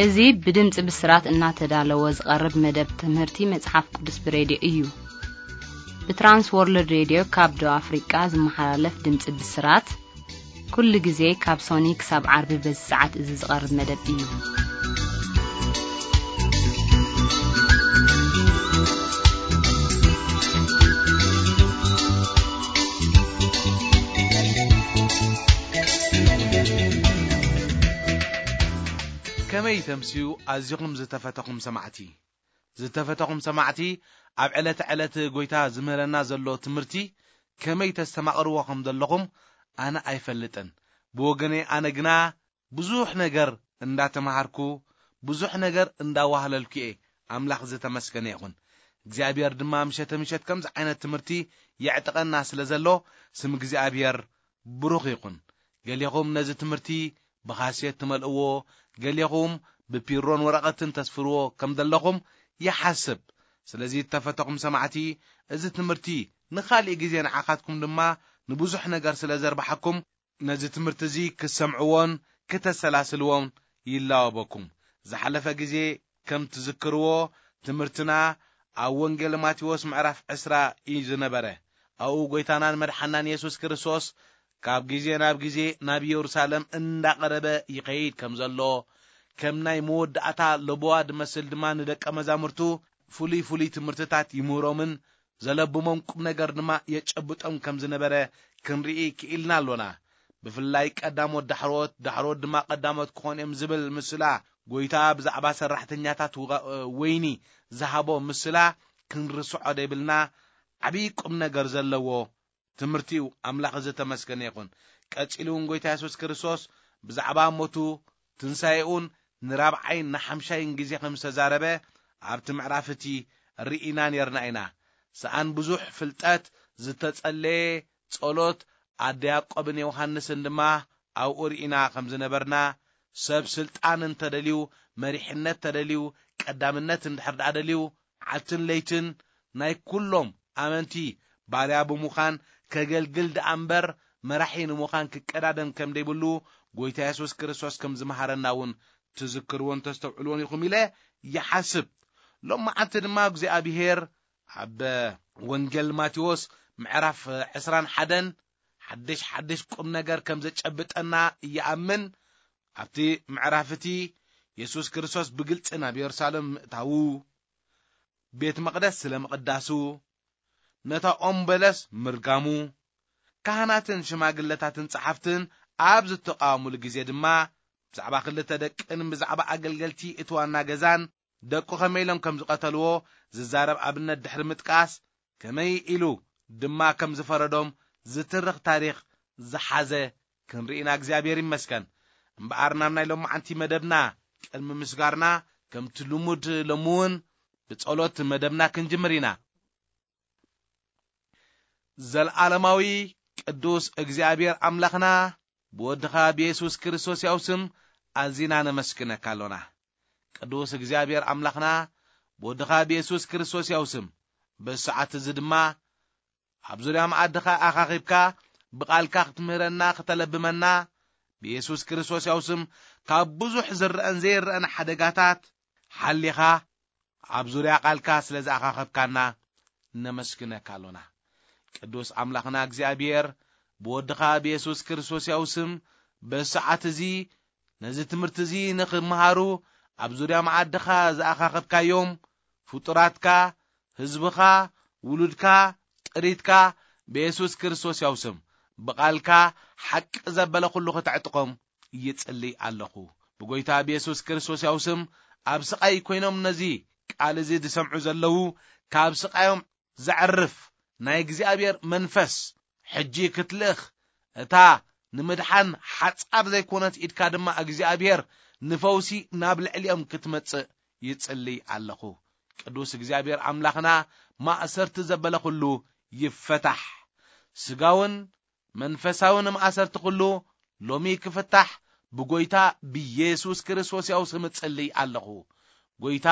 እዚ ብድምፂ ብስራት እናተዳለወ ዝቐርብ መደብ ትምህርቲ መጽሓፍ ቅዱስ ብሬድዮ እዩ። ብትራንስ ወርልድ ሬድዮ ካብ ደቡብ ኣፍሪቃ ዝመሓላለፍ ድምፂ ብስራት፣ ኩሉ ግዜ ካብ ሶኒ ክሳብ ዓርቢ በዚ ሰዓት እዚ ዝቐርብ መደብ እዩ። ከመይ ተምስዩ ኣዚኹም ዝተፈተኹም ሰማዕቲ? ዝተፈተኹም ሰማዕቲ፣ ኣብ ዕለተ ዕለት ጎይታ ዝምህረና ዘሎ ትምህርቲ ከመይ ተስተማቕርዎ ከም ዘለኹም ኣነ ኣይፈልጥን። ብወገነይ ኣነ ግና ብዙሕ ነገር እንዳተማሃርኩ፣ ብዙሕ ነገር እንዳዋህለልኩ እየ። ኣምላኽ ዝተመስገነ ይኹን። እግዚኣብሔር ድማ ምሸተ ምሸት ከምዚ ዓይነት ትምህርቲ የዕጥቀና ስለ ዘሎ፣ ስም እግዚኣብሔር ብሩኽ ይኹን። ገሌኹም ነዚ ትምህርቲ ብኻሴት ትመልእዎ፣ ገሌኹም ብፒሮን ወረቐትን ተስፍርዎ ከም ዘለኹም ይሓስብ። ስለዚ እተፈተኹም ሰማዕቲ፣ እዚ ትምህርቲ ንኻልእ ግዜ ንዓኻትኩም ድማ ንብዙሕ ነገር ስለ ዘርብሓኩም፣ ነዚ ትምህርቲ እዚ ክትሰምዕዎን ክተሰላስልዎን ይላወበኩም። ዝሓለፈ ግዜ ከም ትዝክርዎ፣ ትምህርትና ኣብ ወንጌል ማቴዎስ ምዕራፍ ዕስራ እዩ ዝነበረ። ኣብኡ ጎይታናን መድሓናን የሱስ ክርስቶስ ካብ ግዜ ናብ ግዜ ናብ ኢየሩሳሌም እንዳቐረበ ይኸይድ ከም ዘሎ፣ ከም ናይ መወዳእታ ለቦዋ ዝመስል ድማ ንደቀ መዛሙርቱ ፍሉይ ፍሉይ ትምህርትታት ይምህሮምን ዘለብሞም ቁም ነገር ድማ የጨብጦም ከም ዝነበረ ክንርኢ ክኢልና ኣሎና። ብፍላይ ቀዳሞት ዳሕሮት፣ ዳሕሮት ድማ ቀዳሞት ክኾኑ እዮም ዝብል ምስላ፣ ጎይታ ብዛዕባ ሰራሕተኛታት ውጋ-፣ ወይኒ ዝሃቦ ምስላ ክንርስዖ ዘይብልና ዓብዪ ቁም ነገር ዘለዎ ትምህርቲ እዩ። ኣምላኽ ዝተመስገነ ይኹን። ቀጺሉ እውን ጎይታ የሱስ ክርስቶስ ብዛዕባ ሞቱ ትንሳኤኡን ንራብዓይን ንሓምሻይን ግዜ ከም ዝተዛረበ ኣብቲ ምዕራፍ እቲ ርኢና ነርና ኢና። ሰኣን ብዙሕ ፍልጠት ዝተጸለየ ጸሎት ኣደ ያዕቆብን ዮሃንስን ድማ ኣብኡ ርኢና ከም ዝነበርና፣ ሰብ ስልጣን እንተደልዩ፣ መሪሕነት ተደልዩ፣ ቀዳምነት እንድሕር ደኣ ደልዩ፣ መዓልትን ለይትን ናይ ኩሎም ኣመንቲ ባርያ ብምዃን ከገልግል ደኣ እምበር መራሒ ንምዃን ክቀዳደም ከም ዘይብሉ ጎይታ የሱስ ክርስቶስ ከም ዝመሃረና እውን ትዝክርዎን ተስተውዕልዎን ኢኹም ኢለ ይሓስብ። ሎም መዓልቲ ድማ እግዚኣብሄር ኣብ ወንጌል ማቴዎስ ምዕራፍ ዕስራን ሓደን ሓድሽ ሓድሽ ቁም ነገር ከም ዘጨብጠና ይኣምን። ኣብቲ ምዕራፍ እቲ የሱስ ክርስቶስ ብግልጺ ናብ የሩሳሌም ምእታዉ፣ ቤት መቕደስ ስለ ምቕዳሱ፣ ነታ ኦም በለስ ምርጋሙ፣ ካህናትን ሽማግለታትን ጸሓፍትን ኣብ ዝተቃወሙሉ ግዜ ድማ ብዛዕባ ክልተ ደቅን ብዛዕባ ኣገልገልቲ እቲ ዋና ገዛን ደቁ ከመይ ኢሎም ከም ዝቐተልዎ ዝዛረብ ኣብነት ድሕሪ ምጥቃስ፣ ከመይ ኢሉ ድማ ከም ዝፈረዶም ዝትርኽ ታሪኽ ዝሓዘ ክንርኢ ኢና። እግዚኣብሔር ይመስገን። እምበኣር ናብ ናይ ሎማዓንቲ መደብና ቅድሚ ምስጋርና፣ ከምቲ ልሙድ ሎሚ እውን ብጸሎት መደብና ክንጅምር ኢና። ዘልዓለማዊ ቅዱስ እግዚኣብሔር ኣምላኽና፣ ብወድኻ ብየሱስ ክርስቶስ ያው ስም ኣዚና ነመስግነካ ኣሎና። ቅዱስ እግዚኣብሔር ኣምላኽና፣ ብወድኻ ብየሱስ ክርስቶስ ያው ስም፣ በዚ ሰዓት እዚ ድማ ኣብ ዙርያ መኣድኻ ኣኻኺብካ፣ ብቓልካ ክትምህረና፣ ክተለብመና፣ ብየሱስ ክርስቶስ ያው ስም፣ ካብ ብዙሕ ዝረአን ዘይረአን ሓደጋታት ሓሊኻ፣ ኣብ ዙርያ ቃልካ ስለ ዝኣኻኸብካና ነመስግነካ ኣሎና። ቅዱስ ኣምላኽና እግዚኣብሔር፣ ብወድኻ ብየሱስ ክርስቶስ ያው ስም፣ በዚ ሰዓት እዚ ነዚ ትምህርቲ እዚ ንኽመሃሩ ኣብ ዙርያ መዓድኻ ዝኣኻኸብካዮም ፍጡራትካ፣ ህዝብኻ፣ ውሉድካ፣ ጥሪትካ፣ ብየሱስ ክርስቶስ ያው ስም፣ ብቓልካ ሓቂ ዘበለ ኩሉ ከተዕጥቖም ይጽሊ ኣለኹ። ብጎይታ ብየሱስ ክርስቶስ ያው ስም፣ ኣብ ስቓይ ኮይኖም ነዚ ቃል እዚ ዝሰምዑ ዘለዉ፣ ካብ ስቓዮም ዘዕርፍ ናይ እግዚኣብሔር መንፈስ ሕጂ ክትልእኽ፣ እታ ንምድሓን ሓጻር ዘይኮነት ኢድካ ድማ እግዚኣብሔር ንፈውሲ ናብ ልዕሊኦም ክትመጽእ ይጽሊ ኣለኹ። ቅዱስ እግዚኣብሔር ኣምላኽና፣ ማእሰርቲ ዘበለ ኩሉ ይፈታሕ። ስጋውን መንፈሳውን ማእሰርቲ ኩሉ ሎሚ ክፍታሕ ብጎይታ ብየሱስ ክርስቶስ ያው ስም እጽልይ ኣለኹ። ጎይታ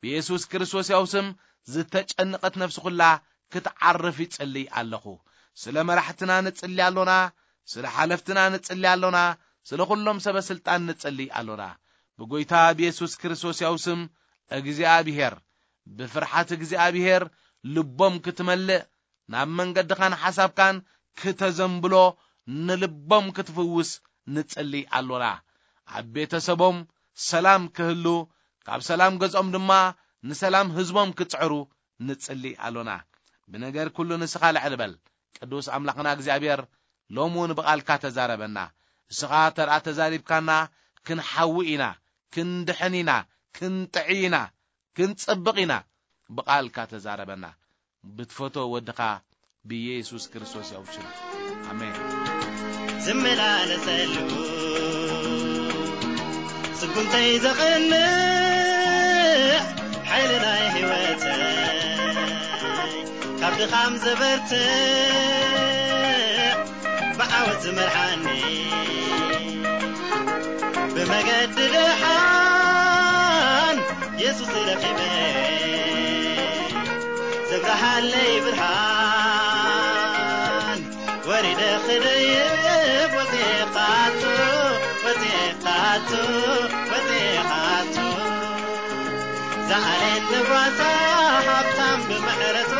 ብየሱስ ክርስቶስ ያው ስም ዝተጨነቐት ነፍሲ ኩላ ክትዓርፍ ይጽልይ ኣለኹ። ስለ መራሕትና ንጽሊ ኣሎና፣ ስለ ሓለፍትና ንጽሊ ኣሎና፣ ስለ ኩሎም ሰበ ስልጣን ንጽሊ ኣሎና። ብጎይታ ብየሱስ ክርስቶስ ያው ስም እግዚኣብሔር፣ ብፍርሓት እግዚኣብሔር ልቦም ክትመልእ፣ ናብ መንገድኻን ሓሳብካን ክተዘንብሎ፣ ንልቦም ክትፍውስ ንጽሊ ኣሎና። ኣብ ቤተሰቦም ሰላም ክህሉ፣ ካብ ሰላም ገዝኦም ድማ ንሰላም ህዝቦም ክጽዕሩ ንጽሊ ኣሎና። ብነገር ኩሉ ንስኻ ልዕል በል። ቅዱስ ኣምላኽና እግዚኣብሔር፣ ሎም እውን ብቓልካ ተዛረበና። እስኻ ተርኣ ተዛሪብካና፣ ክንሓዊ ኢና፣ ክንድሕን ኢና፣ ክንጥዒ ኢና፣ ክንጽብቕ ኢና። ብቓልካ ተዛረበና። ብትፈቶ ወድኻ ብየሱስ ክርስቶስ ያው ሽም። ኣሜን። ዝመላለሰሉ ስጉምተይ ዘቕንዕ ሓይሊ ናይ ህይወተይ ካብ ድኻም ዘበርትዕ ብዓወት ዝመርሓኒ ብመገዲ ደሓን የሱስ ረኺበ ዘብርሃለይ ብርሃን ወሪደ ክደይብ ወፂኤ ካቱ ወፂኤ ካቱ ወፂኤ ካቱ ዝዓሌት ንጓሳ ሃብታም ብምሕረቱ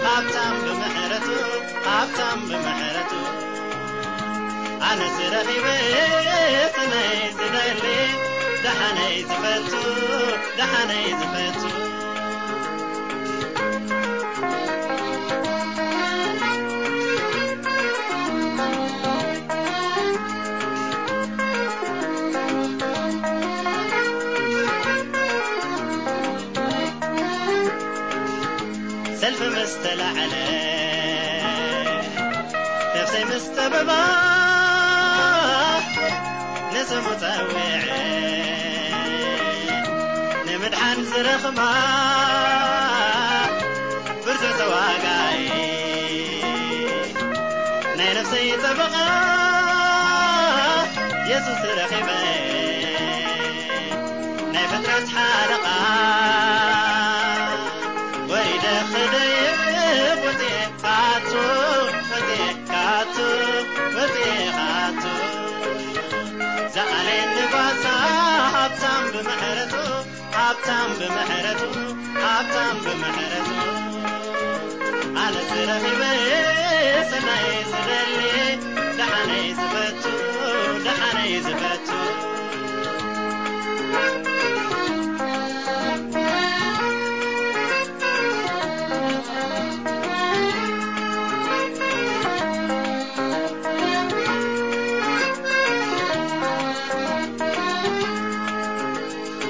ሃብታም ብምሕረቱ ሃብታም ብምሕረቱ ኣነስ ረኺበ ስነይ ዝደሊ ደሓነይ ዝፈቱ ደሓነይ ዝፈቱ ሰልፊ ምስ ተላዕለ ነፍሰይ ምስ ጠበባ ንስሙ ጸዊዐ ንምድሓን ዝረኽባ ብርቱዕ ተዋጋኢ ናይ ነፍሰይ ጠበቓ የሱስ ረኺበ ናይ ፍጥረት ሓለቓ ወሪደ ክደይብ ወፂኤ ካቱ ወፂኤ ካቱ ወፂኤ ካቱ ዝዓሌት ንጓሳ ሃብታም ብምሕረቱ ሃብታም ብምሕረቱ ሃብታም ብምሕረቱ ኣነስ ረኺበ ሰናይ ዝደሊ ደሓነይ ዝፈቱ ደሓነይ ዝፈቱ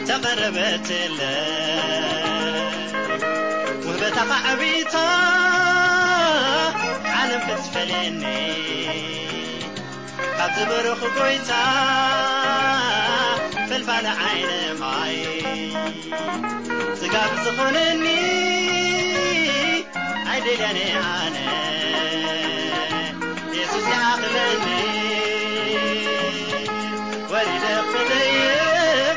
ተቐረበትለ ውህበታ ኻዕቢታ ዓለም ክትፈልየኒ ካብ ዝበረኹ ጎይታ ፈልፋለ ዓይነ ማይ ስጋብ ዝኾነኒ ኣይደልያነ ኣነ የሱስ ይኣኽለኒ ወሪደ ክደይብ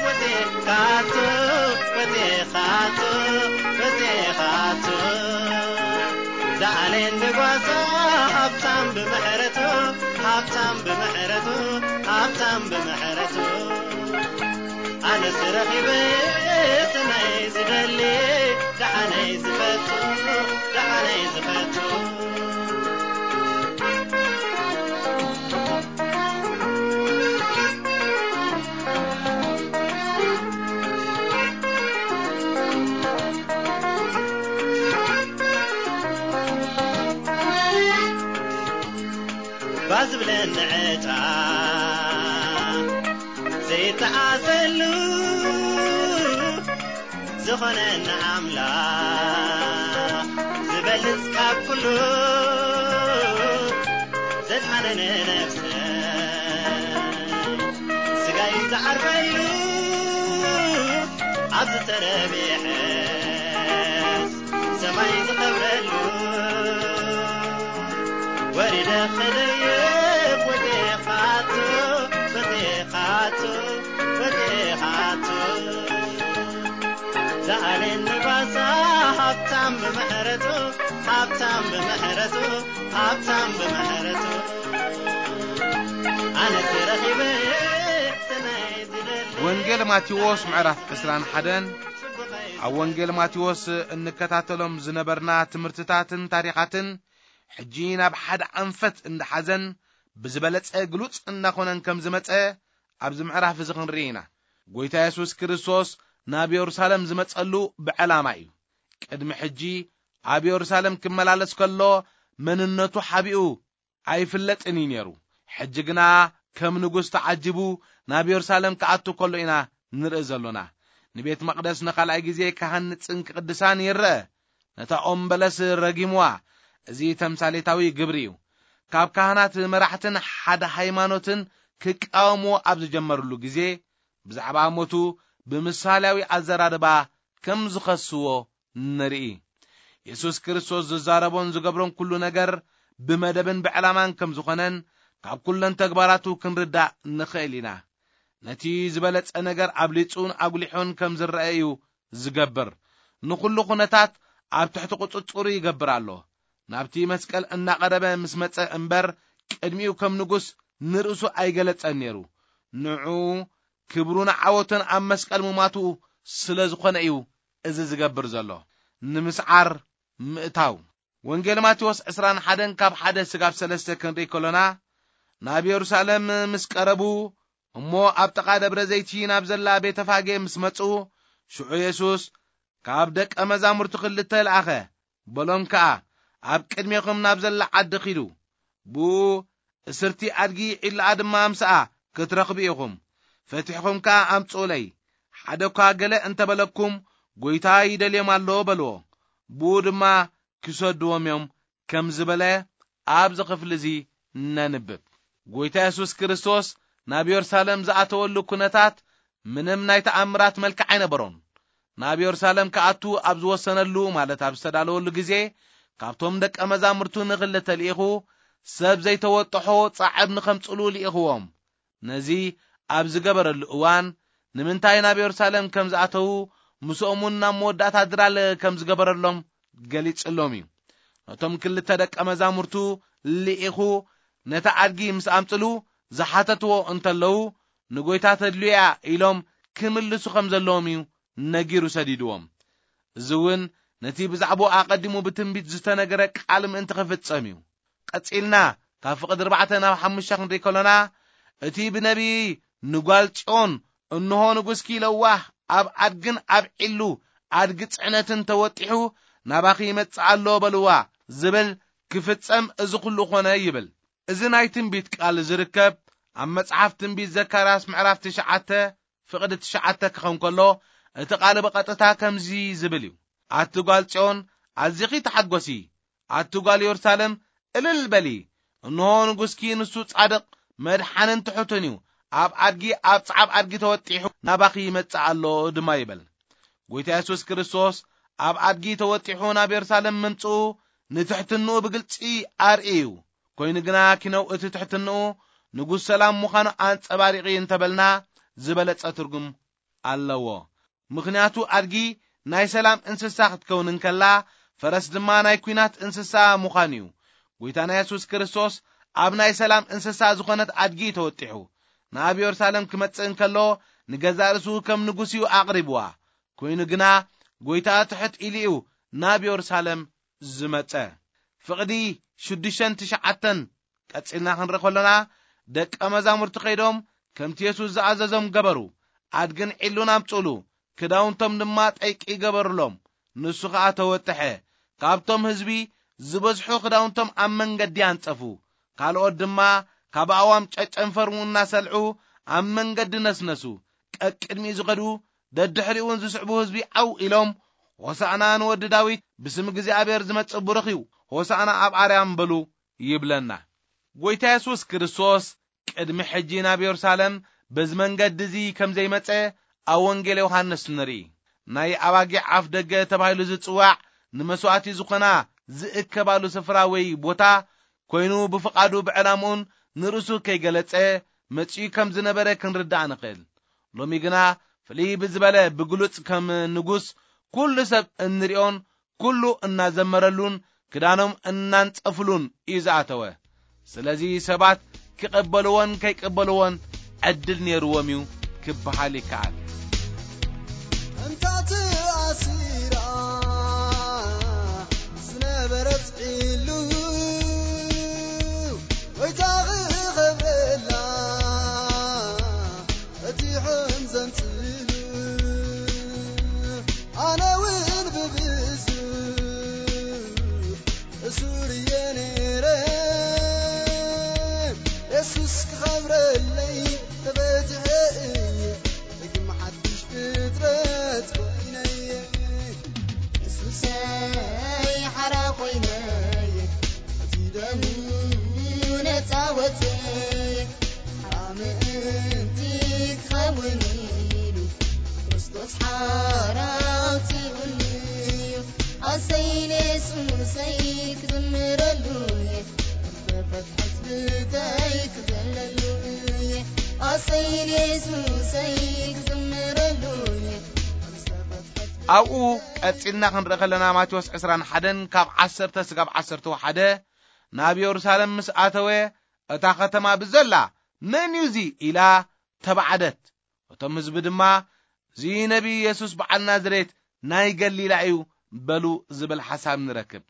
ወፂኤ ካቱ ወፂኤ ካቱ ወፂኤ ካቱ ዝዓሌት ንጓሳ ሃብታም ብምሕረቱ ሃብታም ብምሕረቱ ሃብታም ብምሕረቱ ኣነስ ረኺበ ሰናይ ዝደሊ ደሓነይ ዝፈቱ ደሓነይ ዝፈቱ ባዝብለኒ ዕጣ ዘይተዓሰሉ ዝኾነና ኣምላኽ ዝበልጽ ካብ ኩሉ ዘድሓነነ ነፍሰ ስጋይ ዝዓርፈሉ ኣብዚ ተረቢሐስ ሰማይ ዝኸብረሉ ወሪደ ክደይብ ወዴኻቱ ወዴኻቱ ወዴኻቱ ዝዓሌት ንጓሳ ሃብታም ብምሕረቱ ሃብታም ብምሕረቱ ሃብታም ብምሕረቱ ኣነስ ረኺበ ሰናይ ዝደሊ ወንጌል ወንጌል ማቴዎስ ምዕራፍ ዕስራን ሓደን። ኣብ ወንጌል ማቴዎስ እንከታተሎም ዝነበርና ትምህርትታትን ታሪኻትን፣ ሕጂ ናብ ሓደ ኣንፈት እንዳሓዘን ብዝበለጸ ግሉጽ እንዳኾነን ከም ዝመጸ ኣብዚ ምዕራፍ እዚ ክንርኢ ኢና። ጎይታ የሱስ ክርስቶስ ናብ የሩሳሌም ዝመጸሉ ብዕላማ እዩ። ቅድሚ ሕጂ ኣብ የሩሳሌም ክመላለስ ከሎ መንነቱ ሓቢኡ ኣይፍለጥን እዩ ነይሩ። ሕጂ ግና ከም ንጉስ ተዓጂቡ ናብ የሩሳሌም ክኣቱ ከሎ ኢና ንርኢ ዘሎና። ንቤት መቕደስ ንኻልኣይ ግዜ ክሃንጽን ክቕድሳን ይረአ። ነታ ኦም በለስ ረጊምዋ። እዚ ተምሳሌታዊ ግብሪ እዩ። ካብ ካህናት መራሕትን ሓደ ሃይማኖትን ክቃወምዎ ኣብ ዝጀመርሉ ግዜ፣ ብዛዕባ ሞቱ ብምሳሌያዊ ኣዘራርባ ከም ዝኸስዎ ንርኢ። የሱስ ክርስቶስ ዝዛረቦን ዝገብሮን ኩሉ ነገር ብመደብን ብዕላማን ከም ዝኾነን ካብ ኩለን ተግባራቱ ክንርዳእ ንኽእል ኢና። ነቲ ዝበለጸ ነገር ኣብሊጹን ኣጉሊሑን ከም ዝረአ እዩ ዝገብር። ንኹሉ ኩነታት ኣብ ትሕቲ ቁጽጽሩ ይገብር ኣሎ። ናብቲ መስቀል እናቐረበ ምስ መጸ እምበር፣ ቅድሚኡ ከም ንጉስ ንርእሱ ኣይገለጸን ነይሩ። ንዑ ክብሩን ዓወቱን ኣብ መስቀል ሙማቱ ስለ ዝኾነ እዩ እዚ ዝገብር ዘሎ። ንምስዓር ምእታው። ወንጌል ማቴዎስ ዕስራን ሓደን ካብ ሓደ ስጋብ ሰለስተ ክንርኢ ከሎና፣ ናብ የሩሳሌም ምስ ቀረቡ፣ እሞ ኣብ ጥቓ ደብረ ዘይቲ ናብ ዘላ ቤተፋጌ ምስ መጹ፣ ሽዑ የሱስ ካብ ደቀ መዛሙርቱ ክልተ ለኣኸ፣ በሎም ከኣ፣ ኣብ ቅድሜኹም ናብ ዘላ ዓዲ ኺዱ። ብኡ እስርቲ ኣድጊ ዒላኣ ድማ ምስኣ ክትረኽቡ ኢኹም። ፈቲሕኹም ከኣ ኣምጽኡለይ። ሓደ እኳ ገለ እንተበለኩም፣ ጎይታ ይደልዮም ኣሎ በልዎ። ብኡ ድማ ክሰድዎም እዮም ከም ዝበለ ኣብዚ ክፍሊ እዚ ነንብብ። ጎይታ የሱስ ክርስቶስ ናብ የሩሳሌም ዝኣተወሉ ኩነታት ምንም ናይ ተኣምራት መልክዕ ኣይነበሮን። ናብ የሩሳሌም ክኣቱ ኣብ ዝወሰነሉ፣ ማለት ኣብ ዝተዳለወሉ ግዜ፣ ካብቶም ደቀ መዛሙርቱ ንኽልተ ልኢኹ፣ ሰብ ዘይተወጥሖ ጻዕብ ንኸምጽሉ ልኢኽዎም። ነዚ ኣብ ዝገበረሉ እዋን፣ ንምንታይ ናብ የሩሳሌም ከም ዝኣተዉ፣ ምስኦምውን ናብ መወዳእታ ድራለ ከም ዝገበረሎም ገሊጽሎም እዩ። ነቶም ክልተ ደቀ መዛሙርቱ ልኢኹ፣ ነታ ኣድጊ ምስ ኣምጽሉ ዝሓተትዎ እንተለዉ፣ ንጎይታ ተድልዮ እያ ኢሎም ክምልሱ ከም ዘለዎም እዩ ነጊሩ ሰዲድዎም። እዚ እውን ነቲ ብዛዕባኡ ኣቐዲሙ ብትንቢት ዝተነገረ ቃል ምእንቲ ክፍጸም እዩ። ቀጺልና ካብ ፍቕዲ ኣርባዕተ ናብ ሓሙሽተ ክንርኢ ከሎና፣ እቲ ብነቢይ ንጓል ጽዮን፣ "እንሆ ንጉስኪ ለዋህ ኣብ ኣድግን ኣብ ዒሉ ኣድጊ ጽዕነትን ተወጢሑ ናባኺ ይመጽእ ኣሎ በልዋ" ዝብል ክፍጸም እዚ ኩሉ ኾነ ይብል። እዚ ናይ ትንቢት ቃል ዝርከብ ኣብ መጽሓፍ ትንቢት ዘካርያስ ምዕራፍ ትሽዓተ ፍቕዲ ትሽዓተ ክኸውን ከሎ፣ እቲ ቃል ብቐጥታ ከምዚ ዝብል እዩ። ኣቲ ጓል ጽዮን፣ ኣዚኺ ተሓጎሲ፣ ኣቲ ጓል የሩሳሌም፣ እልል በሊ። እንሆ ንጉስኪ ንሱ ጻድቕ፣ መድሓንን ትሑትን እዩ። ኣብ ኣድጊ፣ ኣብ ጻዕብ ኣድጊ ተወጢሑ ናባኺ ይመጽእ ኣሎ ድማ ይበል። ጎይታ የሱስ ክርስቶስ ኣብ ኣድጊ ተወጢሑ ናብ የሩሳሌም ምምጽኡ ንትሕትንኡ ብግልጺ ኣርኢ እዩ። ኮይኑ ግና ኪነው እቲ ትሕትንኡ ንጉስ ሰላም ምዃኑ ኣንጸባሪቒ እንተበልና ዝበለጸ ትርጉም ኣለዎ። ምኽንያቱ ኣድጊ ናይ ሰላም እንስሳ ክትከውን እንከላ፣ ፈረስ ድማ ናይ ኲናት እንስሳ ምዃኑ እዩ። ጎይታና የሱስ ክርስቶስ ኣብ ናይ ሰላም እንስሳ ዝኾነት ኣድጊ ተወጢሑ ናብ የሩሳሌም ክመጽእ እንከሎ፣ ንገዛእ ርእሱ ከም ንጉስ እዩ ኣቕሪብዋ። ኮይኑ ግና ጎይታ ትሕት ኢሉ እዩ ናብ የሩሳሌም ዝመጸ። ፍቕዲ ሽዱሽተን ትሽዓተን ቀጺልና ክንርኢ ከሎና፣ ደቀ መዛሙርቲ ከይዶም ከምቲ የሱስ ዝኣዘዞም ገበሩ። ኣድግን ዒሉን ኣምጽኡሉ፣ ክዳውንቶም ድማ ጠይቂ ገበሩሎም። ንሱ ኸኣ ተወጥሐ። ካብቶም ህዝቢ ዝበዝሑ ክዳውንቶም ኣብ መንገዲ ኣንጸፉ። ካልኦት ድማ ካብ ኣእዋም ጨጨንፈር እናሰልዑ ኣብ መንገዲ ነስነሱ። ቀቅድሚኡ ዝኸዱ፣ ደድሕሪኡ እውን ዝስዕቡ ህዝቢ ዓው ኢሎም፣ "ሆሳዕና ንወዲ ዳዊት፣ ብስም እግዚኣብሔር ዝመጽእ ብሩኽ እዩ፣ ሆሳዕና ኣብ ኣርያም" በሉ ይብለና። ጎይታ የሱስ ክርስቶስ ቅድሚ ሕጂ ናብ የሩሳሌም በዚ መንገዲ እዚ ከም ዘይመጸ ኣብ ወንጌል ዮሃንስ ንርኢ። ናይ ኣባጊዕ ኣፍ ደገ ተባሂሉ ዝጽዋዕ፣ ንመስዋዕቲ ዝኾና ዝእከባሉ ስፍራ ወይ ቦታ ኮይኑ፣ ብፍቓዱ ብዕላምኡን ንርእሱ ከይገለጸ መጺኡ ከም ዝነበረ ክንርዳእ ንኽእል። ሎሚ ግና ፍልይ ብዝበለ ብግሉጽ ከም ንጉስ ኩሉ ሰብ እንሪኦን ኩሉ እናዘመረሉን ክዳኖም እናንጸፍሉን እዩ ዝኣተወ። ስለዚ ሰባት ክቐበልዎን ከይቀበልዎን ዕድል ነይርዎም እዩ ክበሃል ይከኣል። እታ ተኣሲራ ዝነበረት ዒሉ፣ ጎይታ ክኸብረላ ፈቲሖም ዘንጽሉ። ኣነ እውን ብብዙሕ እሱር እየ ነይረ፣ የሱስ ክኸብረለይ ተፈቲሐ እየ። ደጊም ሓድሽ ፍጥረት ኮይነየ። የሱሰይ ሓራ ኮይነየ። እቲ ደሙ ነጻ ወጸየ። ሓራ ምእንቲ ክኸውን ኢሉ። ክርስቶስ ሓራ ኣውጺኡኒ እዩ። ኣሰይ ንየሱሰይ ክዝምረሉ እየ። ዝተፈትሐት ብተይ ክዘለሉ እየ። ኣሰይ ንየሱሰይ ክዝምረሉ እየ። ዝተፈትሐት ኣብኡ ቀጺልና ክንርኢ ከለና፣ ማቴዎስ ዕስራን ሓደን ካብ ዓሰርተ ስጋብ ዓሰርተ ሓደ፣ ናብ የሩሳሌም ምስ ኣተወ፣ እታ ከተማ ብዘላ "መን እዩ እዚ?" ኢላ ተባዕደት። እቶም ህዝቢ ድማ፣ "እዚ ነቢይ የሱስ በዓል ናዝሬት ናይ ገሊላ እዩ" በሉ ዝብል ሓሳብ ንረክብ።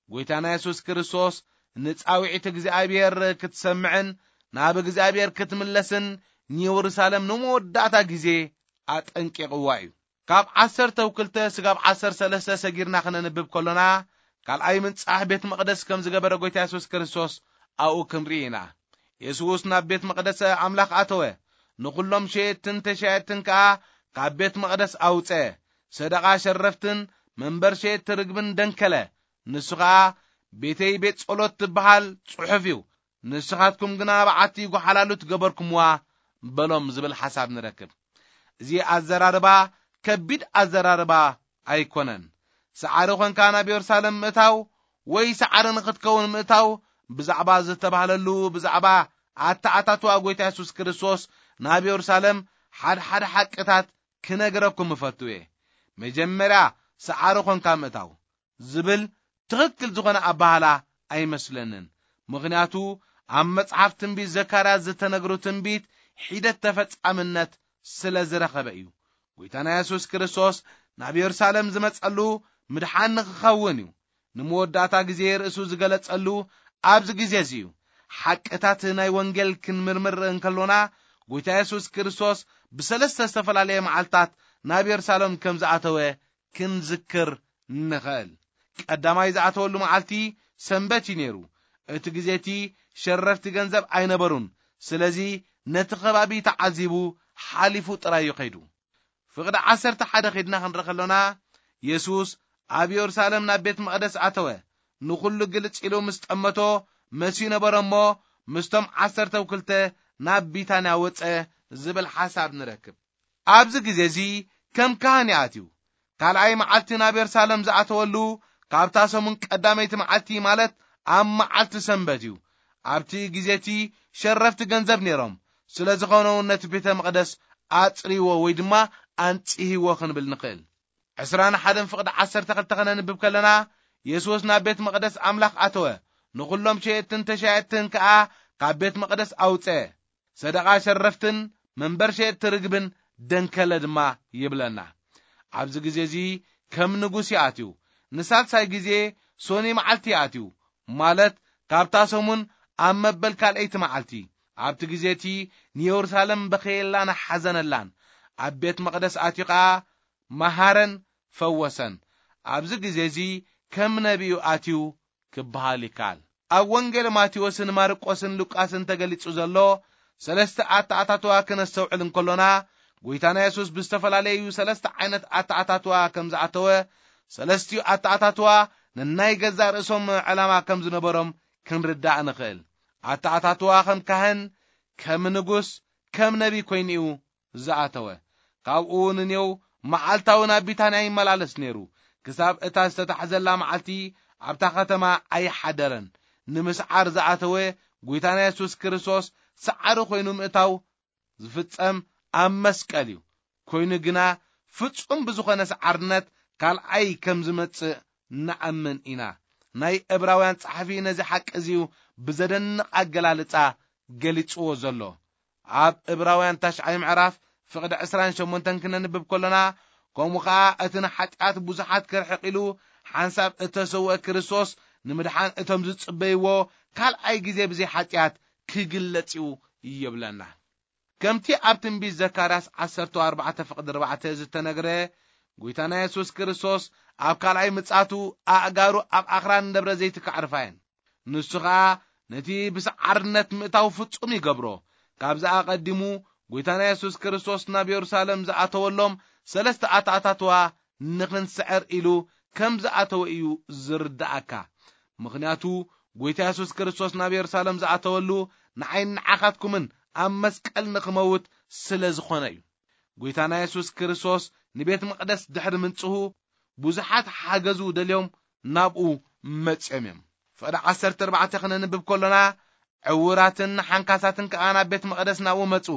ጎይታና የሱስ ክርስቶስ ንጻውዒት እግዚኣብሔር ክትሰምዕን ናብ እግዚኣብሔር ክትምለስን ንየሩሳሌም ንመወዳእታ ግዜ ኣጠንቂቕዋ እዩ። ካብ ዓሰርተ ክልተ ስጋብ ዓሰርተ ሰለስተ ሰጊርና ክነንብብ ከሎና፣ ካልኣይ ምንጻሕ ቤት መቕደስ ከም ዝገበረ ጎይታ የሱስ ክርስቶስ ኣብኡ ክንርኢ ኢና። የሱስ ናብ ቤት መቕደስ ኣምላኽ ኣተወ፣ ንኹሎም ሸየጥትን ተሻየጥትን ከኣ ካብ ቤት መቕደስ ኣውጸ። ሰደቓ ሸረፍትን መንበር ሸየጥቲ ርግብን ደንከለ። ንሱ ኸኣ፣ "ቤተይ ቤት ጸሎት ትበሃል ጽሑፍ እዩ፣ ንስኻትኩም ግና በዓቲ ጓሓላሉት ገበርኩምዋ" በሎም ዝብል ሓሳብ ንረክብ። እዚ ኣዘራርባ ከቢድ ኣዘራርባ ኣይኮነን። ሰዓሪ ኾንካ ናብ የሩሳሌም ምእታው ወይ ሰዓሪ ንኽትከውን ምእታው ብዛዕባ ዝተባህለሉ፣ ብዛዕባ ኣተኣታትዋ ጎይታ የሱስ ክርስቶስ ናብ የሩሳሌም ሓድሓደ ሓቅታት ክነግረኩም እፈቱ እየ። መጀመርያ ሰዓሪ ኾንካ ምእታው ዝብል ትኽክል ዝኾነ ኣባህላ ኣይመስለንን። ምኽንያቱ ኣብ መጽሓፍ ትንቢት ዘካርያስ ዝተነግሩ ትንቢት ሒደት ተፈጻምነት ስለ ዝረኸበ እዩ። ጎይታና የሱስ ክርስቶስ ናብ የሩሳሌም ዝመጸሉ ምድሓን ንኽኸውን እዩ። ንመወዳእታ ግዜ ርእሱ ዝገለጸሉ ኣብዚ ግዜ እዚ እዩ። ሓቅታት ናይ ወንጌል ክንምርምር እንከሎና፣ ጎይታ የሱስ ክርስቶስ ብሰለስተ ዝተፈላለየ መዓልታት ናብ የሩሳሌም ከም ዝኣተወ ክንዝክር ንኽእል። ቀዳማይ ዝኣተወሉ መዓልቲ ሰንበት እዩ ነይሩ። እቲ ግዜ እቲ ሸረፍቲ ገንዘብ ኣይነበሩን። ስለዚ ነቲ ከባቢ ተዓዚቡ ሓሊፉ ጥራይ እዩ ከይዱ። ፍቕዲ ዓሰርተ ሓደ ኸድና ክንርኢ ከሎና፣ የሱስ ኣብ የሩሳሌም ናብ ቤት መቕደስ ኣተወ። ንኹሉ ግልጽ ኢሉ ምስ ጠመቶ መስዩ ነበረ እሞ፣ ምስቶም ዓሰርተ ክልተ ናብ ቢታንያ ወጸ ዝብል ሓሳብ ንረክብ። ኣብዚ ግዜ እዚ ከም ካህን እዩ ኣትዩ። ካልኣይ መዓልቲ ናብ የሩሳሌም ዝኣተወሉ ካብታ ሰሙን ቀዳመይቲ መዓልቲ፣ ማለት ኣብ መዓልቲ ሰንበት እዩ። ኣብቲ ግዜ እቲ ሸረፍቲ ገንዘብ ነይሮም። ስለ ዝኾነ እውን ነቲ ቤተ መቕደስ ኣጽርይዎ ወይ ድማ ኣንጽህይዎ ክንብል ንኽእል። ዕስራን ሓደን ፍቕዲ ዓሰርተ ክልተ ከነንብብ ከለና፣ የሱስ ናብ ቤት መቕደስ ኣምላኽ ኣተወ፣ ንኹሎም ሸየጥትን ተሻየጥትን ከኣ ካብ ቤት መቕደስ ኣውጸ። ሰደቓ ሸረፍትን መንበር ሸየጥቲ ርግብን ደንከለ ድማ ይብለና። ኣብዚ ግዜ እዚ ከም ንጉስ ይኣትዩ። ንሳልሳይ ግዜ ሶኒ መዓልቲ ይኣትዩ፣ ማለት ካብታ ሰሙን ኣብ መበል ካልኣይቲ መዓልቲ። ኣብቲ ግዜ እቲ ንየሩሳሌም በኸየላን ሓዘነላን። ኣብ ቤት መቕደስ ኣትዩ ኸኣ መሃረን ፈወሰን። ኣብዚ ግዜ እዚ ከም ነቢዩ ኣትዩ ክበሃል ይከኣል። ኣብ ወንጌል ማቴዎስን ማርቆስን ሉቃስን ተገሊጹ ዘሎ ሰለስተ ኣተኣታትዋ ክነስተውዕል እንከሎና፣ ጎይታና የሱስ ብዝተፈላለዩ ሰለስተ ዓይነት ኣተኣታትዋ ከም ዝኣተወ፣ ሰለስቲኡ ኣተኣታትዋ ነናይ ገዛእ ርእሶም ዕላማ ከም ዝነበሮም ክንርዳእ ንኽእል። ኣተኣታትዋ ከም ካህን፣ ከም ንጉስ፣ ከም ነቢይ ኮይኑ እዩ ዝኣተወ። ካብኡ ንኔው መዓልታዊ ናብ ቢታንያ ይመላለስ ነይሩ። ክሳብ እታ ዝተታሕዘላ መዓልቲ ኣብታ ከተማ ኣይሓደረን። ንምስዓር ዝኣተወ ጎይታና የሱስ ክርስቶስ ሰዓሪ ኮይኑ ምእታው ዝፍጸም ኣብ መስቀል እዩ። ኮይኑ ግና ፍጹም ብዝኾነ ሰዓርነት ካልኣይ ከም ዝመጽእ ንኣምን ኢና። ናይ ዕብራውያን ጸሓፊ ነዚ ሓቂ እዚዩ ብዘደንቕ ኣገላልጻ ገሊጽዎ ዘሎ። ኣብ ዕብራውያን ታሽዓይ ምዕራፍ ፍቕዲ ዕስራን ሸሞንተን ክነንብብ ከሎና፣ ከምኡ ኸኣ እቲ ንሓጢኣት ብዙሓት ከርሕቕ ኢሉ ሓንሳብ እተሰውአ ክርስቶስ ንምድሓን እቶም ዝጽበይዎ ካልኣይ ግዜ ብዘይ ሓጢኣት ክግለጽ እዩ ይብለና። ከምቲ ኣብ ትንቢት ዘካርያስ ዓሰርተ ኣርባዕተ ፍቕዲ ኣርባዕተ ዝተነግረ፣ ጎይታና የሱስ ክርስቶስ ኣብ ካልኣይ ምጻቱ ኣእጋሩ ኣብ ኣኽራን ደብረ ዘይት ከዕርፋ እየን። ንሱ ኸኣ ነቲ ብሰዓርነት ምእታው ፍጹም ይገብሮ። ካብዚ ኣቐዲሙ ጎይታና የሱስ ክርስቶስ ናብ የሩሳሌም ዝኣተወሎም ሰለስተ ኣታኣታትዋ ንኽንስዕር ኢሉ ከም ዝኣተወ እዩ ዝርድኣካ። ምኽንያቱ ጎይታ የሱስ ክርስቶስ ናብ የሩሳሌም ዝኣተወሉ ንዓይን ንዓኻትኩምን ኣብ መስቀል ንኽመውት ስለ ዝኾነ እዩ። ጎይታና የሱስ ክርስቶስ ንቤት መቕደስ ድሕሪ ምንጽሁ ብዙሓት ሓገዙ ደልዮም ናብኡ መጽዮም እዮም። ፍቕዲ ዓሰርተ ኣርባዕተ ክነንብብ ከሎና ዕውራትን ሓንካሳትን ከኣ ናብ ቤት መቕደስ ናብኡ መጹ፣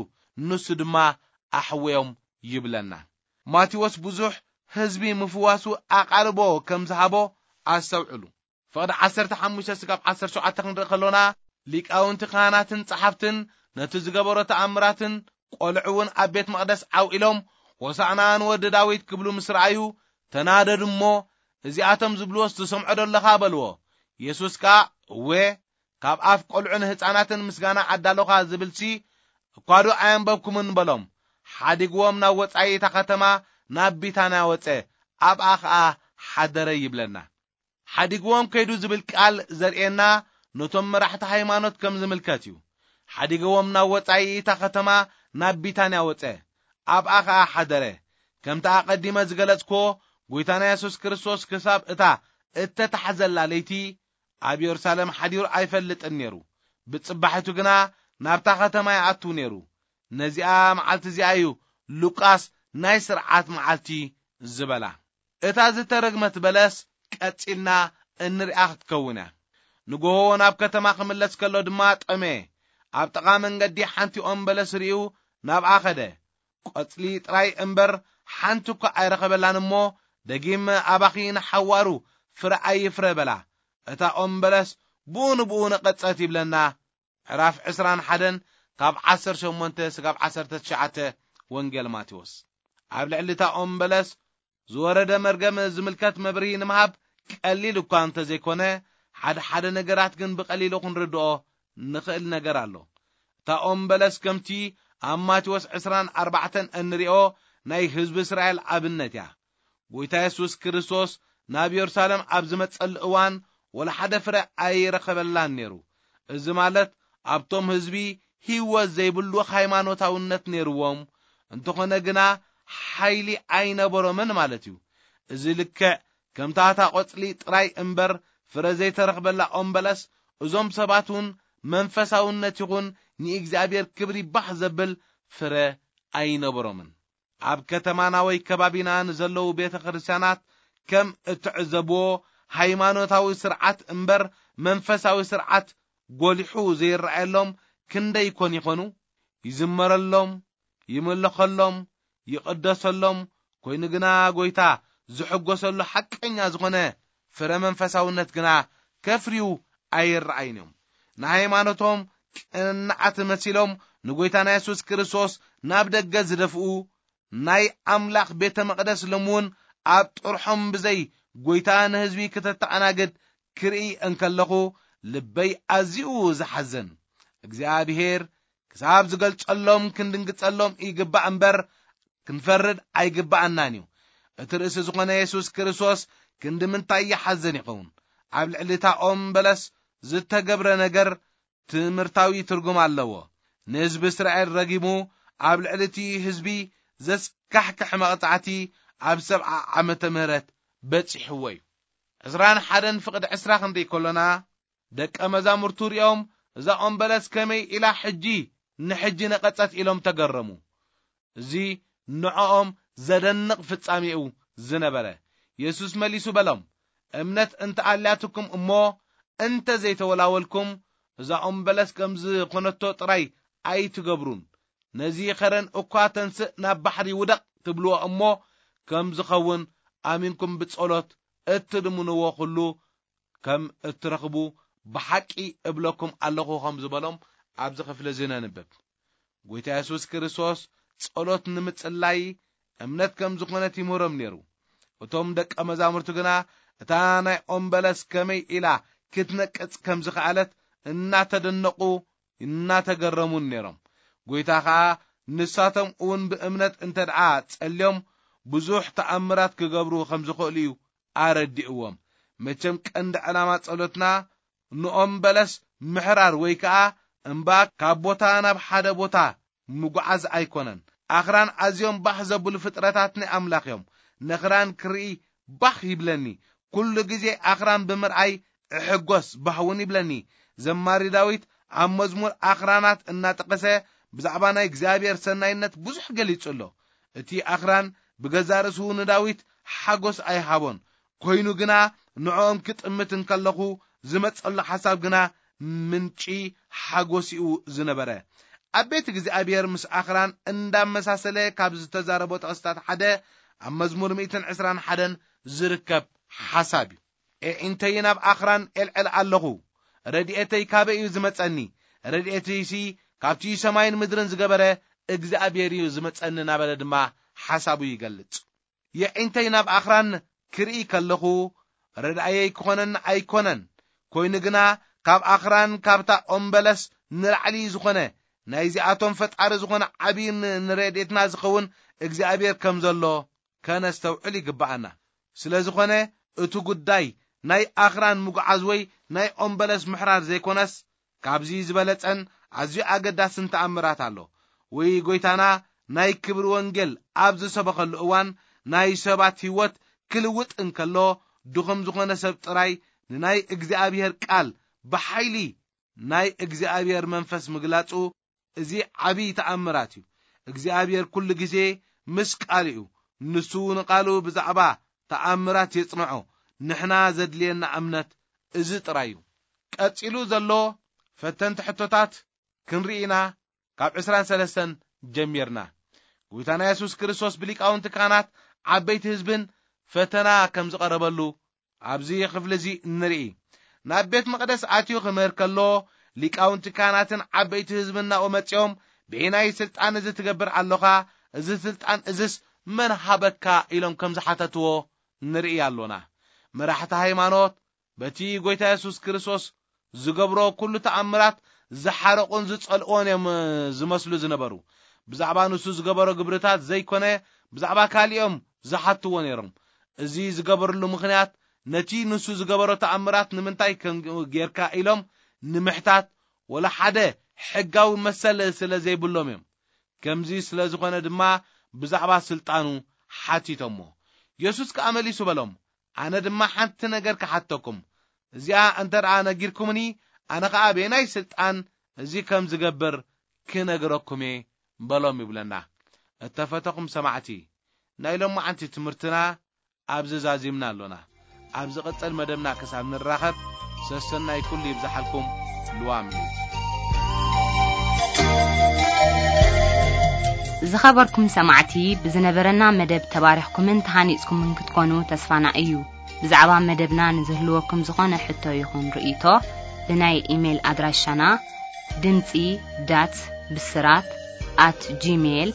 ንሱ ድማ ኣሕወዮም ይብለና። ማቴዎስ ብዙሕ ህዝቢ ምፍዋሱ ኣቓልቦ ከም ዝሃቦ ኣስተውዕሉ። ፍቕዲ ዓሰርተ ሓሙሽተ ስጋብ ዓሰርተ ሸውዓተ ክንርኢ ከሎና ሊቃውንቲ ካህናትን ጸሓፍትን ነቲ ዝገበሮ ተኣምራትን ቆልዑ እውን ኣብ ቤት መቕደስ ዓው ኢሎም ሆሳዕና ንወዲ ዳዊት ክብሉ ምስ ረኣዩ ተናደዱ እሞ፣ እዚኣቶም ዝብልዎስ ትሰምዖ ዶ ኣለኻ በልዎ። የሱስ ከኣ እወ፣ ካብ ኣፍ ቆልዑን ህፃናትን ምስጋና ኣዳለኻ ዝብልሲ እኳ ዶ ኣየንበብኩምን በሎም። ሓዲግዎም ናብ ወፃኢ እታ ከተማ ናብ ቢታንያ ወፀ፣ ኣብኣ ኸኣ ሓደረ ይብለና። ሓዲግዎም ከይዱ ዝብል ቃል ዘርእየና ነቶም መራሕቲ ሃይማኖት ከም ዝምልከት እዩ። ሓዲግዎም ናብ ወጻኢ እታ ከተማ ናብ ቢታንያ ወጸ፣ ኣብኣ ኸኣ ሓደረ። ከምቲ ኣቐዲመ ዝገለጽክዎ፣ ጐይታና የሱስ ክርስቶስ ክሳብ እታ እተታሕዘላ ለይቲ ኣብ የሩሳሌም ሓዲሩ ኣይፈልጥን ነይሩ። ብጽባሒቱ ግና ናብታ ከተማ ይኣቱ ነይሩ። ነዚኣ መዓልቲ እዚኣ እዩ ሉቃስ ናይ ስርዓት መዓልቲ ዝበላ። እታ ዝተረግመት በለስ ቀጺልና እንሪኣ ክትከውን እያ። ንጎሆ ናብ ከተማ ክምለስ ከሎ ድማ ጠመየ። ኣብ ጥቓ መንገዲ ሓንቲ ኦም በለስ ርእዩ ናብኣ ኸደ። ቆጽሊ ጥራይ እምበር ሓንቲ እኳ ኣይረኸበላን እሞ፣ ደጊም ኣባኺ ንሓዋሩ ፍረ ኣይፍረ በላ። እታ ኦም በለስ ብኡ ንብኡ ነቐጸት ይብለና። ምዕራፍ ዕስራን ሓደን ካብ ዓሰርተ ሸሞንተ ስጋብ ዓሰርተ ትሽዓተ ወንጌል ማቴዎስ። ኣብ ልዕሊ እታ ኦም በለስ ዝወረደ መርገም ዝምልከት መብርሂ ንምሃብ ቀሊል እኳ እንተዘይኮነ፣ ሓደ ሓደ ነገራት ግን ብቐሊሉ ክንርድኦ ንኽእል ነገር ኣሎ። እታ ኦም በለስ ከምቲ ኣብ ማቴዎስ ዕስራን ኣርባዕተን እንሪኦ ናይ ህዝቢ እስራኤል ኣብነት እያ። ጐይታ የሱስ ክርስቶስ ናብ የሩሳሌም ኣብ ዝመጸሉ እዋን ወላ ሓደ ፍረ ኣይረኸበላን ነይሩ። እዚ ማለት ኣብቶም ህዝቢ ህይወት ዘይብሉ ሃይማኖታውነት ነይርዎም፣ እንተኾነ ግና ሓይሊ ኣይነበሮምን ማለት እዩ። እዚ ልክዕ ከምታ እታ ቆጽሊ ጥራይ እምበር ፍረ ዘይተረኽበላ ኦም በለስ፣ እዞም ሰባት እውን መንፈሳውነት ይኹን ንእግዚኣብሔር ክብሪ ባህ ዘብል ፍረ ኣይነበሮምን። ኣብ ከተማና ወይ ከባቢና ንዘለዉ ቤተ ክርስቲያናት ከም እትዕዘብዎ፣ ሃይማኖታዊ ስርዓት እምበር መንፈሳዊ ስርዓት ጎሊሑ ዘይረኣየሎም ክንደይ ይኮን ይኾኑ? ይዝመረሎም፣ ይምለኸሎም፣ ይቕደሰሎም፣ ኮይኑ ግና ጐይታ ዝሕጎሰሉ ሓቀኛ ዝኾነ ፍረ መንፈሳውነት ግና ከፍርዩ ኣይረኣዩን እዮም። ንሃይማኖቶም ቅንዓት መሲሎም ንጐይታና የሱስ ክርስቶስ ናብ ደገ ዝደፍኡ፣ ናይ ኣምላኽ ቤተ መቕደስ ሎሚ እውን ኣብ ጥርሖም ብዘይ ጐይታ ንህዝቢ ክተተኣናግድ ክርኢ እንከለኹ ልበይ ኣዝዩ ዝሓዝን። እግዚኣብሔር ክሳብ ዝገልጸሎም ክንድንግጸሎም ይግባእ እምበር ክንፈርድ ኣይግባኣናን እዩ። እቲ ርእሲ ዝኾነ የሱስ ክርስቶስ ክንዲ ምንታይ ይሓዝን ይኸውን? ኣብ ልዕሊ እታ ኦም በለስ ዝተገብረ ነገር ትምህርታዊ ትርጉም ኣለዎ። ንህዝቢ እስራኤል ረጊሙ ኣብ ልዕሊ እቲ ህዝቢ ዘስካሕክሕ መቕጻዕቲ ኣብ ሰብዓ ዓመተ ምህረት በጺሕዎ እዩ። ዕስራን ሓደን ፍቕዲ ዕስራ ክንርኢ ከሎና፣ ደቀ መዛሙርቱ ሪኦም፣ "እዛ ኦም በለስ ከመይ ኢላ ሕጂ ንሕጂ ነቐጸት?" ኢሎም ተገረሙ። እዚ ንዕኦም ዘደንቕ ፍጻሜኡ ዝነበረ። የሱስ መሊሱ በሎም፣ "እምነት እንተ ኣልያትኩም እሞ እንተ ዘይተወላወልኩም፣ እዛ ኦም በለስ ከም ዝኾነቶ ጥራይ ኣይትገብሩን። ነዚ ኸረን እኳ ተንስእ ናብ ባሕሪ ውደቕ ትብልዎ እሞ ከም ዝኸውን ኣሚንኩም ብጸሎት እትልምንዎ ኹሉ ከም እትረኽቡ ብሓቂ እብለኩም ኣለኹ" ከም ዝበሎም ኣብዚ ክፍሊ እዚ ነንብብ። ጐይታ የሱስ ክርስቶስ ጸሎት ንምጽላይ እምነት ከም ዝኾነት ይምህሮም ነይሩ። እቶም ደቀ መዛሙርቱ ግና እታ ናይ ኦም በለስ ከመይ ኢላ ክትነቅጽ ከም ዝኸኣለት እናተደነቑ እናተገረሙን ነይሮም። ጎይታ ኸኣ ንሳቶም እውን ብእምነት እንተ ደኣ ጸልዮም ብዙሕ ተኣምራት ክገብሩ ከም ዝኽእሉ እዩ ኣረዲእዎም። መቸም ቀንዲ ዕላማ ጸሎትና ንኦም በለስ ምሕራር ወይ ከኣ እምባ ካብ ቦታ ናብ ሓደ ቦታ ምጉዓዝ ኣይኮነን። ኣኽራን ኣዝዮም ባህ ዘብሉ ፍጥረታት ናይ ኣምላኽ እዮም። ነኽራን ክርኢ ባህ ይብለኒ። ኩሉ ግዜ ኣኽራን ብምርኣይ እሕጎስ፣ ባህ እውን ይብለኒ። ዘማሪ ዳዊት ኣብ መዝሙር ኣኽራናት እናጠቐሰ ብዛዕባ ናይ እግዚኣብሔር ሰናይነት ብዙሕ ገሊጹ ኣሎ። እቲ ኣኽራን ብገዛ ርእሱ ንዳዊት ሓጎስ ኣይሃቦን። ኮይኑ ግና ንዕኦም ክጥምት እንከለኹ ዝመጸሉ ሓሳብ ግና ምንጪ ሓጎስ እዩ ዝነበረ። ኣብ ቤት እግዚኣብሔር ምስ ኣኽራን እንዳመሳሰለ ካብ ዝተዛረቦ ጥቕስታት ሓደ ኣብ መዝሙር ሚእትን ዕስራን ሓደን ዝርከብ ሓሳብ እዩ። "ኣዒንተይ ናብ ኣኽራን ኤልዕል ኣለኹ፣ ረድኤተይ ካበይ እዩ ዝመጸኒ? ረድኤተይሲ ካብቲ ሰማይን ምድርን ዝገበረ እግዚኣብሔር እዩ ዝመጸኒ" እናበለ ድማ ሓሳቡ ይገልጽ። "የዒንተይ ናብ ኣኽራን ክርኢ ከለኹ ረድኣየይ ክኾነኒ ኣይኮነን። ኮይኑ ግና ካብ ኣኽራን ካብታ ኦም በለስ ንላዕሊ ዝኾነ ናይዚኣቶም ፈጣሪ ዝኾነ ዓብዪ ን-፣ ንረድኤትና ዝኸውን እግዚኣብሔር ከም ዘሎ ከነስተውዕል ይግብኣና። ስለ ዝኾነ እቲ ጉዳይ ናይ ኣኽራን ምጉዓዝ ወይ ናይ ኦም በለስ ምሕራር ዘይኮነስ ካብዚ ዝበለጸን ኣዝዩ ኣገዳስን ተኣምራት ኣሎ። ወይ ጎይታና ናይ ክብሪ ወንጌል ኣብ ዝሰበኸሉ እዋን ናይ ሰባት ህይወት ክልውጥ እንከሎ ድኹም ዝኾነ ሰብ ጥራይ ንናይ እግዚኣብሔር ቃል ብሓይሊ ናይ እግዚኣብሔር መንፈስ ምግላጹ እዚ ዓብዪ ተኣምራት እዩ። እግዚኣብሔር ኩሉ ግዜ ምስ ቃሉ እዩ። ንሱ ንቃሉ ብዛዕባ ተኣምራት የጽንዖ። ንሕና ዘድልየና እምነት እዚ ጥራይ እዩ። ቀጺሉ ዘሎ ፈተንቲ ሕቶታት ክንርኢ ኢና። ካብ ዕስራን ሰለስተን ጀሚርና ጎይታና የሱስ ክርስቶስ ብሊቃውንቲ ካህናት ዓበይቲ ህዝብን ፈተና ከም ዝቐረበሉ ኣብዚ ክፍሊ እዚ ንርኢ። ናብ ቤት መቕደስ ኣትዩ ክምህር ከሎ ሊቃውንቲ ካህናትን ዓበይቲ ህዝብን ናብኡ መጺኦም፣ "ብየናይ ስልጣን እዚ ትገብር ኣለኻ? እዚ ስልጣን እዝስ መን ሃበካ?" ኢሎም ከም ዝሓተትዎ ንርኢ ኣሎና። መራሕቲ ሃይማኖት በቲ ጎይታ የሱስ ክርስቶስ ዝገብሮ ኩሉ ተኣምራት ዝሓረቑን ዝጸልእዎን እዮም ዝመስሉ ዝነበሩ። ብዛዕባ ንሱ ዝገበሮ ግብርታት ዘይኮነ ብዛዕባ ካልኦም ዝሓትዎ ነይሮም። እዚ ዝገበርሉ ምኽንያት ነቲ ንሱ ዝገበሮ ተኣምራት ንምንታይ ከም ጌርካ ኢሎም ንምሕታት ወላ ሓደ ሕጋዊ መሰል ስለ ዘይብሎም እዮም። ከምዚ ስለ ዝኾነ ድማ ብዛዕባ ስልጣኑ ሓቲቶሞ። የሱስ ከኣ መሊሱ በሎም፣ "ኣነ ድማ ሓንቲ ነገር ክሓተኩም፣ እዚኣ እንተ ደኣ ነጊርኩምኒ፣ ኣነ ኸኣ በየናይ ስልጣን እዚ ከም ዝገብር ክነግረኩም እየ" በሎም ይብለና። እተፈተኹም ሰማዕቲ፣ ናይ ሎማዓንቲ ትምህርትና ኣብዚ ዛዚምና ኣሎና። ኣብ ዝቕጽል መደብና ክሳብ ንራኸብ፣ ሰሰናይ ኩሉ ይብዝሓልኩም። ልዋም እዩ። ዝኸበርኩም ሰማዕቲ፣ ብዝነበረና መደብ ተባሪኽኩምን ተሃኒጽኩምን ክትኮኑ ተስፋና እዩ። ብዛዕባ መደብና ንዝህልወኩም ዝኾነ ሕቶ ይኹን ርእይቶ፣ ብናይ ኢሜይል ኣድራሻና ድምጺ ዳት ብስራት ኣት ጂሜይል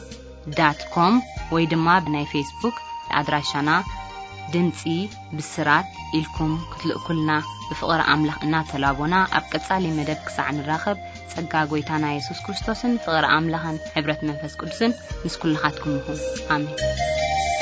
ዳት ኮም ወይ ድማ ብናይ ፌስቡክ ኣድራሻና ድምጺ ብስራት ኢልኩም ክትልእኩልና ብፍቕሪ ኣምላኽ እናተላቦና፣ ኣብ ቀጻሊ መደብ ክሳዕ ንራኸብ፣ ጸጋ ጐይታና የሱስ ክርስቶስን ፍቕሪ ኣምላኽን ሕብረት መንፈስ ቅዱስን ምስ ኩልኻትኩም ይኹን። ኣሜን።